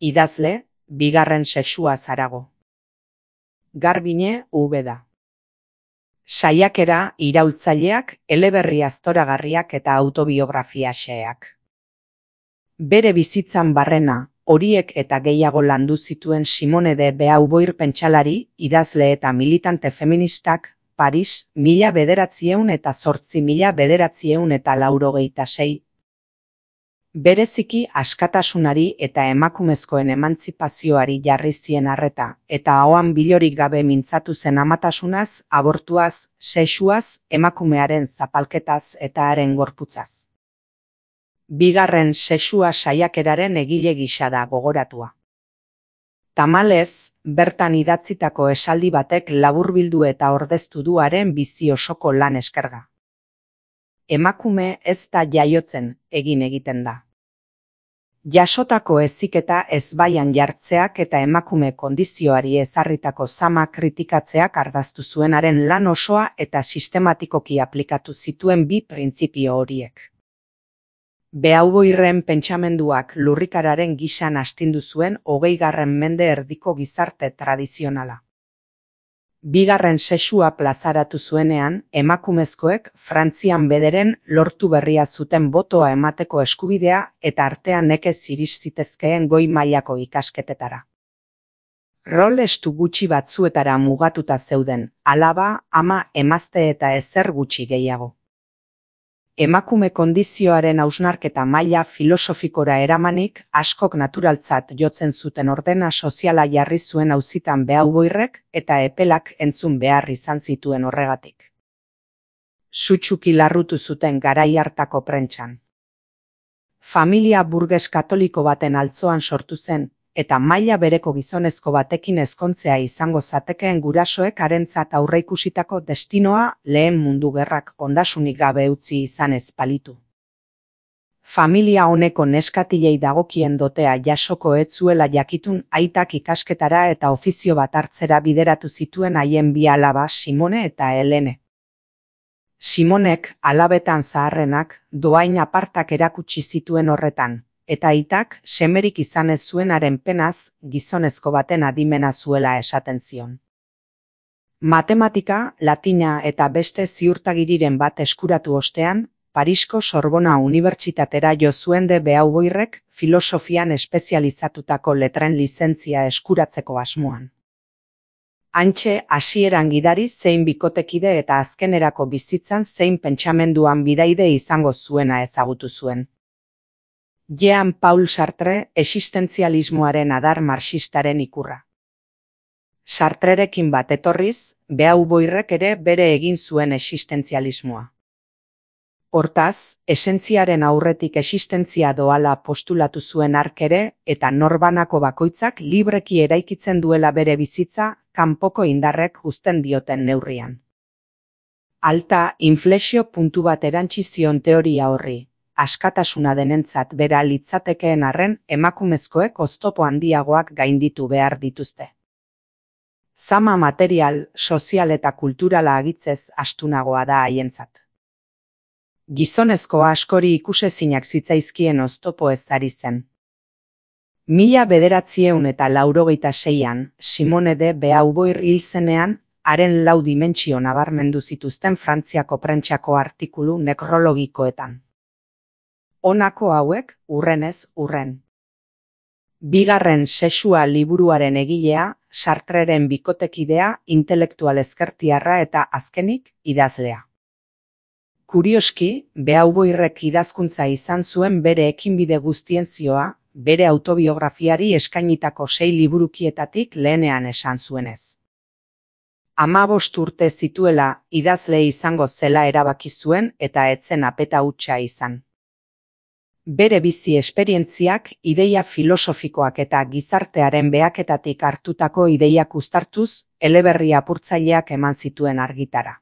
Idazle, bigarren sexua zarago. Garbine Ubeda. Saiakera iraultzaileak, eleberri aztoragarriak eta autobiografia xeheak. Bere bizitzan barrena, horiek eta gehiago landu zituen Simone de Beauvoir pentsalari, idazle eta militante feministak, Paris, 1908–1986. Bereziki askatasunari eta emakumezkoen emantzipazioari jarri zien arreta, eta ahoan bilorik gabe mintzatu zen amatasunaz, abortuaz, sexuaz, emakumearen zapalketaz eta haren gorputzaz. Bigarren sexua saiakeraren egile gisa da gogoratua. Tamalez, bertan idatzitako esaldi batek laburbildu eta ordeztu du haren bizi osoko lan eskerga. Emakume ez da jaiotzen, egiten da. Jasotako heziketa ezbaian jartzeak eta emakume kondizioari ezarritako zama kritikatzeak ardaztu zuenaren lan osoa eta sistematikoki aplikatu zituen bi printzipio horiek. Beauvoirren pentsamenduak lurrikararen gisan astindu zuen 20. mende erdiko gizarte tradizionala. Bigarren sexua plazaratu zuenean, emakumezkoek Frantzian bederen lortu berria zuten botoa emateko eskubidea eta artean nekez iris zitezkeen goi mailako ikasketetara. Rol estu gutxi batzuetara mugatuta zeuden, alaba, ama, emazte eta ezer gutxi gehiago. Emakume kondizioaren hausnarketa maila filosofikora eramanik, askok naturaltzat jotzen zuten ordena soziala jarri zuen auzitan Beauvoirrek eta epelak entzun behar izan zituen horregatik. Sutsuki larrutu zuten garai hartako prentsan. Familia burges katoliko baten altzoan sortu zen, eta maila bereko gizonezko batekin ezkontzea izango zatekeen gurasoek harentzat aurreikusitako destinoa Lehen Mundu Gerrak ondasunik gabe utzi izan ez balitu. Familia honeko neskatilei dagokien dotea jasoko ez zuela jakitun aitak ikasketara eta ofizio bat hartzera bideratu zituen haien bi alaba Simone eta Helene. Simonek, alabetan zaharrenak, dohain apartak erakutsi zituen horretan, eta aitak semerik izan ez zuenaren penaz, gizonezko baten adimena zuela esaten zion. Matematika, latina eta beste ziurtagiriren bat eskuratu ostean, Parisko Sorbona Unibertsitatera jo zuen de Beauvoirrek filosofian espezializatutako letren lizentzia eskuratzeko asmoan. Hantxe hasieran gidari zein bikotekide eta azkenerako bizitzan zein pentsamenduan bidaide izango zuena ezagutu zuen. Jean-Paul Sartre existentzialismoaren adar marxistaren ikurra. Sartrerekin bat etorriz, Beauvoirrek ere bere egin zuen existentzialismoa. Hortaz, esentziaren aurretik existentzia doala postulatu zuen hark ere eta norbanako bakoitzak libreki eraikitzen duela bere bizitza kanpoko indarrek uzten dioten neurrian. Alta inflexio puntu bat erantsi zion teoria horri. Askatasuna denentzat bera litzatekeen arren emakumezkoek oztopo handiagoak gainditu behar dituzte. Zama material, sozial eta kulturala agitzez astunagoa da haientzat. Gizonezko askori ikusezinak zitzaizkien oztopo ez ari zen. 1986an, Simone de Beauvoir hil zenean, haren 4 dimentsio nabarmendu zituzten Frantziako prentsako artikulu nekrologikoetan. Honako hauek, urrenez urren. Bigarren sexua liburuaren egilea, Sartreren bikotekidea, intelektual ezkertiarra eta azkenik, idazlea. Kurioski, Beauvoirrek idazkuntza izan zuen bere ekinbide guztien zioa, bere autobiografiari eskainitako 6 liburukietatik lehenean esan zuenez. 15 urte zituela idazle izango zela erabaki zuen eta etzen apeta hutsa izan. Bere bizi esperientziak, ideia filosofikoak eta gizartearen behaketatik hartutako ideiak uztartuz, eleberri apurtzaileak eman zituen argitara.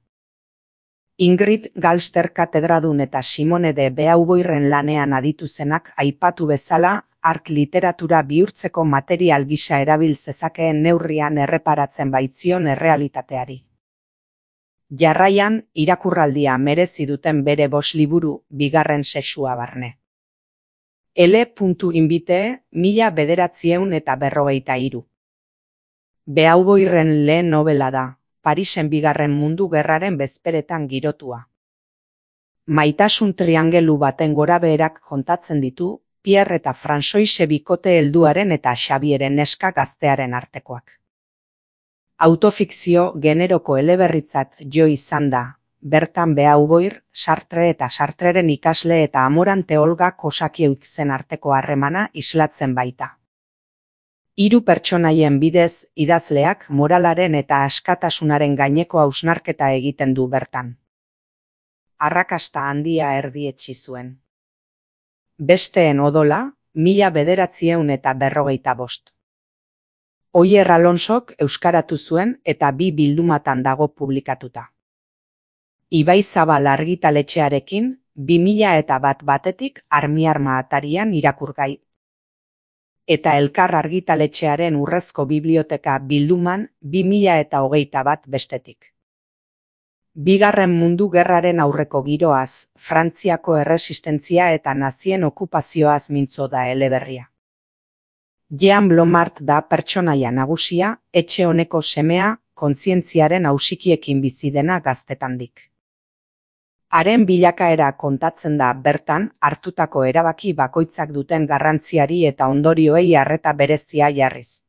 Ingrid Galster katedradun eta Simone de Beauvoirren lanean aditu zenak aipatu bezala, hark literatura bihurtzeko material gisa erabil zezakeen neurrian erreparatzen baitzion errealitateari. Jarraian, irakurraldia merezi duten bere 5 liburu, bigarren sexua barne. L.Invite 1943. Beauvoirren lehen nobela da, Parisen Bigarren Mundu Gerraren bezperetan girotua. Maitasun triangelu baten gorabeherak kontatzen ditu Pierre eta Françoise bikote helduaren eta Xabieren neska gaztearen artekoak. Autofikzio generoko eleberritzat jo izan da, bertan Beauvoir, Sartre eta Sartreren ikasle eta Amorante Olga Kosakieuxen arteko harremana islatzen baita. Hiru pertsonaien bidez, idazleak moralaren eta askatasunaren gaineko hausnarketa egiten du bertan. Arrakasta handia erdietsi zuen. Besteen odola, 1945. Oier Alonsok euskaratu zuen eta 2 bildumatan dago publikatuta. Ibaizabal argitaletxearekin 2001 batetik Armiarma atarian irakurgai. Eta Elkar argitaletxearen Urrezko Biblioteka bilduman 2021 bestetik. Bigarren Mundu Gerraren aurreko giroaz, Frantziako erresistentzia eta nazien okupazioaz mintzo da eleberria. Jean Blomart da pertsonaia nagusia, etxe honeko semea, kontzientziaren ausikiekin bizi dena gaztetandik. Haren bilakaera kontatzen da bertan hartutako erabaki bakoitzak duten garrantziari eta ondorioei arreta berezia jarriz.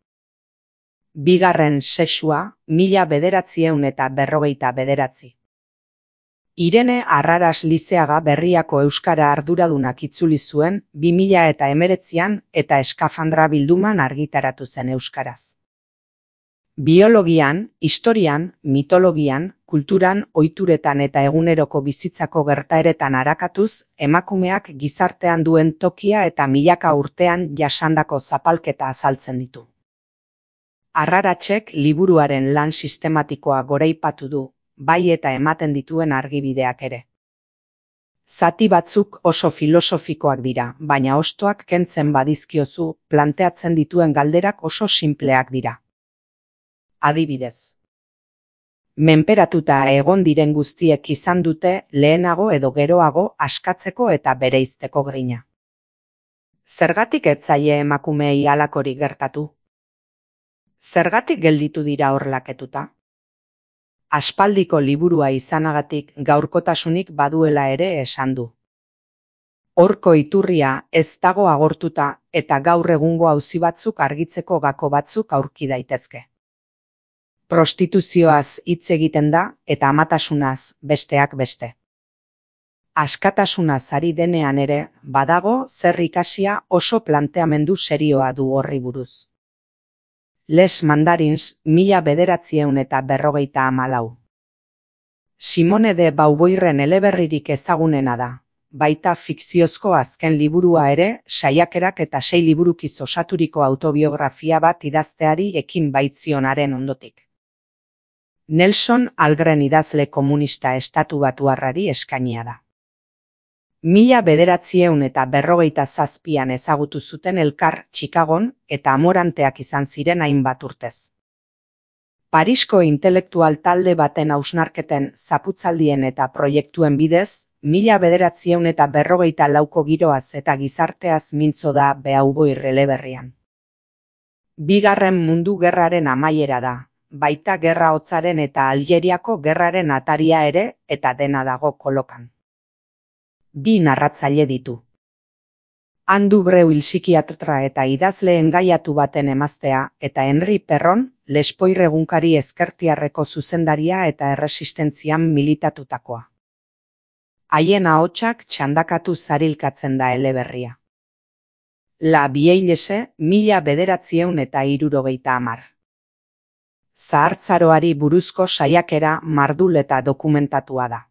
Bigarren sexua, 1959. Irene Arraras Lizeaga Berriako euskara arduradunak itzuli zuen 2019an eta Eskafandra bilduman argitaratu zen euskaraz. Biologian, historian, mitologian, kulturan, ohituretan eta eguneroko bizitzako gertaeretan arakatuz, emakumeak gizartean duen tokia eta milaka urtean jasandako zapalketa azaltzen ditu. Arraratsek liburuaren lan sistematikoa goraipatu du, bai eta ematen dituen argibideak ere. Zati batzuk oso filosofikoak dira, baina hostoak kentzen badizkiozu, planteatzen dituen galderak oso sinpleak dira. Adibidez. Menperatuta egon diren guztiek izan dute lehenago edo geroago askatzeko eta bereizteko grina. Zergatik ez zaie emakumeei halakorik gertatu? Zergatik gelditu dira horlaketuta? Aspaldiko liburua izanagatik gaurkotasunik baduela ere esan du. Horko iturria ez dago agortuta eta gaur egungo auzi batzuk argitzeko gako batzuk aurki daitezke. Prostituzioaz hitz egiten da eta amatasunaz besteak beste. Askatasunaz ari denean ere badago zer ikasia oso planteamendu serioa du horri buruz. Les Mandarins 1954. Simone de Beauvoirren eleberririk ezagunena da, baita fikziozko azken liburua ere, saiakerak eta 6 liburukiz osaturiko autobiografia bat idazteari ekin baitzionaren ondotik. Nelson Algren idazle komunista estatubatuarrari eskainia da. 1957an ezagutu zuten elkar Chicagon eta amoranteak izan ziren hainbat urtez. Parisko intelektual talde baten hausnarketen zaputzaldien eta proiektuen bidez, 1954ko giroaz eta gizarteaz mintzo da Beauvoir eleberrian. Bigarren Mundu Gerraren amaiera da, baita Gerra Hotzaren eta Aljeriako gerraren ataria ere eta dena dago kolokan. 2 narratzaile ditu. Andu Breuil psikiatra eta idazle engaiatu baten emaztea eta Henri Perron, Lespoir egunkari ezkertiarreko zuzendaria eta erresistentzian militatutakoa. Haien ahotsak txandakatu zarilkatzen da eleberria. La Vieillesse 1970. Zahartzaroari buruzko saiakera mardul eta dokumentatua da.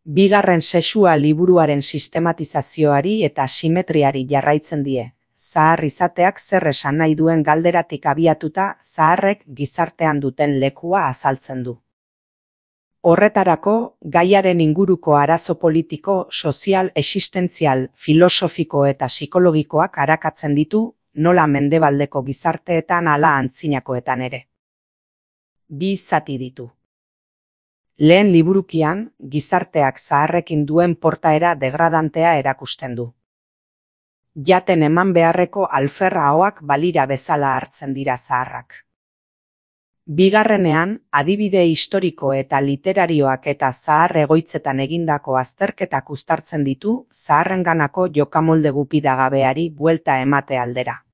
Bigarren sexua liburuaren sistematizazioari eta simetriari jarraitzen die. Zahar izateak zer esan nahi duen galderatik abiatuta zaharrek gizartean duten lekua azaltzen du. Horretarako, gaiaren inguruko arazo politiko, sozial, existentzial, filosofiko eta psikologikoak arakatzen ditu, nola mendebaldeko gizarteetan ala antzinakoetan ere. 2 zati ditu. Lehen liburukian, gizarteak zaharrekin duen portaera degradantea erakusten du. Jaten eman beharreko alferra ahoak balira bezala hartzen dira zaharrak. Bigarrenean, adibide historiko eta literarioak eta zahar egoitzetan egindako azterketak uztartzen ditu zaharrenganako jokamolde gupidagabeari buelta emate aldera.